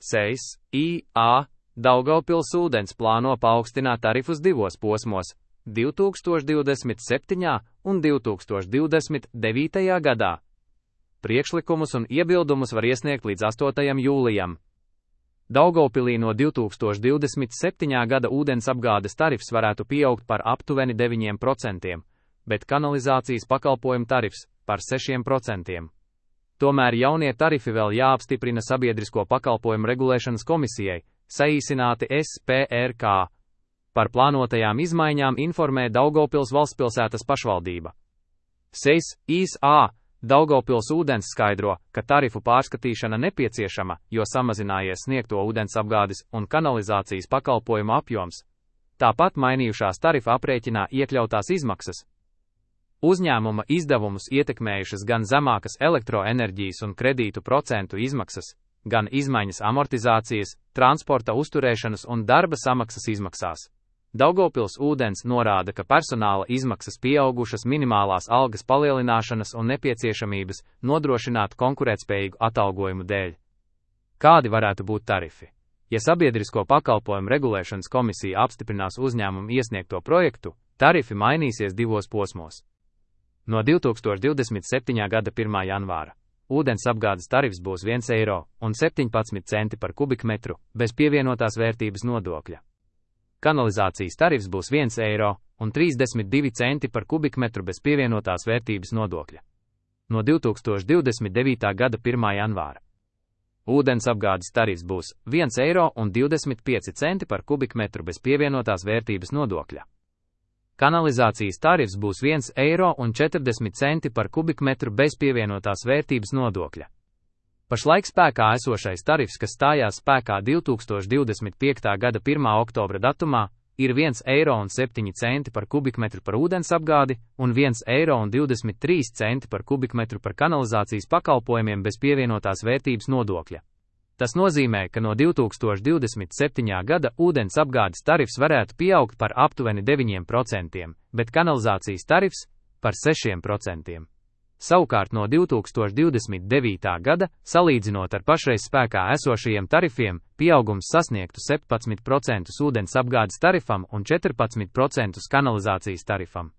SEIS-IA Daugavpils ūdens plāno paaugstināt tarifus divos posmos - 2027. un 2029. gadā. Priekšlikumus un iebildumus var iesniegt līdz 8. jūlijam. Daugavpilī no 2027. gada ūdensapgādes tarifs varētu pieaugt par aptuveni 9%, bet kanalizācijas pakalpojumu tarifs par 6%. Tomēr jaunie tarifi vēl jāapstiprina Sabiedrisko pakalpojumu regulēšanas komisijai, saīsināti SPRK. Par plānotajām izmaiņām informē Daugavpils valstspilsētas pašvaldība. SEIS-IA Daugavpils ūdens skaidro, ka tarifu pārskatīšana nepieciešama, jo samazinājies sniegto ūdensapgādes un kanalizācijas pakalpojumu apjoms. Tāpat mainījušās tarifa aprēķinā iekļautās izmaksas. Uzņēmuma izdevumus ietekmējušas gan zemākas elektroenerģijas un kredītu procentu izmaksas, gan izmaiņas amortizācijas, transporta uzturēšanas un darba samaksas izmaksās. Daugavpils ūdens norāda, ka personāla izmaksas pieaugušas minimālās algas palielināšanas un nepieciešamības nodrošināt konkurētspējīgu atalgojumu dēļ. Kādi varētu būt tarifi? Ja Sabiedrisko pakalpojumu regulēšanas komisija apstiprinās uzņēmumu iesniegto projektu, tarifi mainīsies divos posmos. No 2027. gada 1. janvāra ūdens apgādes tarifs būs 1,17 eiro par kubikmetru bez pievienotās vērtības nodokļa. Kanalizācijas tarifs būs 1,32 eiro par kubikmetru bez pievienotās vērtības nodokļa. No 2029. gada 1. janvāra ūdens apgādes tarifs būs 1,25 eiro par kubikmetru bez pievienotās vērtības nodokļa. Kanalizācijas tarifs būs 1,40 eiro par kubikmetru bez pievienotās vērtības nodokļa. Pašlaik spēkā esošais tarifs, kas stājās spēkā 2025. gada 1. oktobra datumā, ir 1,07 eiro par kubikmetru par ūdens apgādi un 1,23 eiro par kubikmetru par kanalizācijas pakalpojumiem bez pievienotās vērtības nodokļa. Tas nozīmē, ka no 2027. gada ūdens apgādes tarifs varētu pieaugt par aptuveni 9%, bet kanalizācijas tarifs par 6%. Savukārt no 2029. gada, salīdzinot ar pašreiz spēkā esošajiem tarifiem, pieaugums sasniegtu 17% ūdens apgādes tarifam un 14% kanalizācijas tarifam.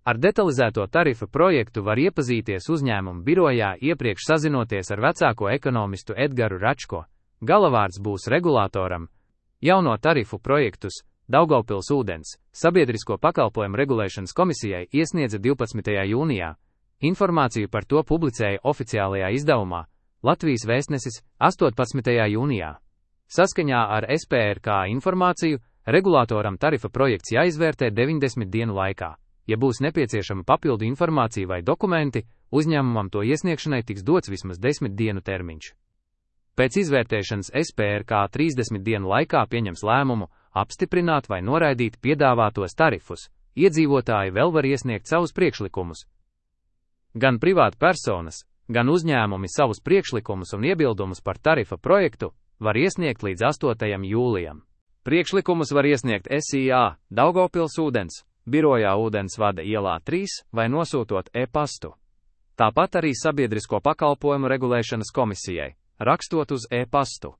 Ar detalizēto tarifa projektu var iepazīties uzņēmuma birojā iepriekš sazinoties ar vecāko ekonomistu Edgaru Račko. Galavārds būs regulātoram. Jauno tarifu projektus Daugavpils ūdens Sabiedrisko pakalpojumu regulēšanas komisijai iesniedza 12. jūnijā. Informāciju par to publicēja oficiālajā izdevumā Latvijas vēstnesis 18. jūnijā. Saskaņā ar SPRK informāciju, regulātoram tarifa projekts jāizvērtē 90 dienu laikā. Ja būs nepieciešama papildu informācija vai dokumenti, uzņēmumam to iesniegšanai tiks dots vismaz 10 dienu termiņš. Pēc izvērtēšanas SPRK 30 dienu laikā pieņems lēmumu apstiprināt vai noraidīt piedāvātos tarifus. Iedzīvotāji vēl var iesniegt savus priekšlikumus. Gan privāti personas, gan uzņēmumi savus priekšlikumus un iebildumus par tarifa projektu var iesniegt līdz 8. jūlijam. Priekšlikumus var iesniegt SIA Daugavpils ūdens birojā Ūdensvada ielā 3 vai nosūtot e-pastu. Tāpat arī Sabiedrisko pakalpojumu regulēšanas komisijai, rakstot uz e-pastu.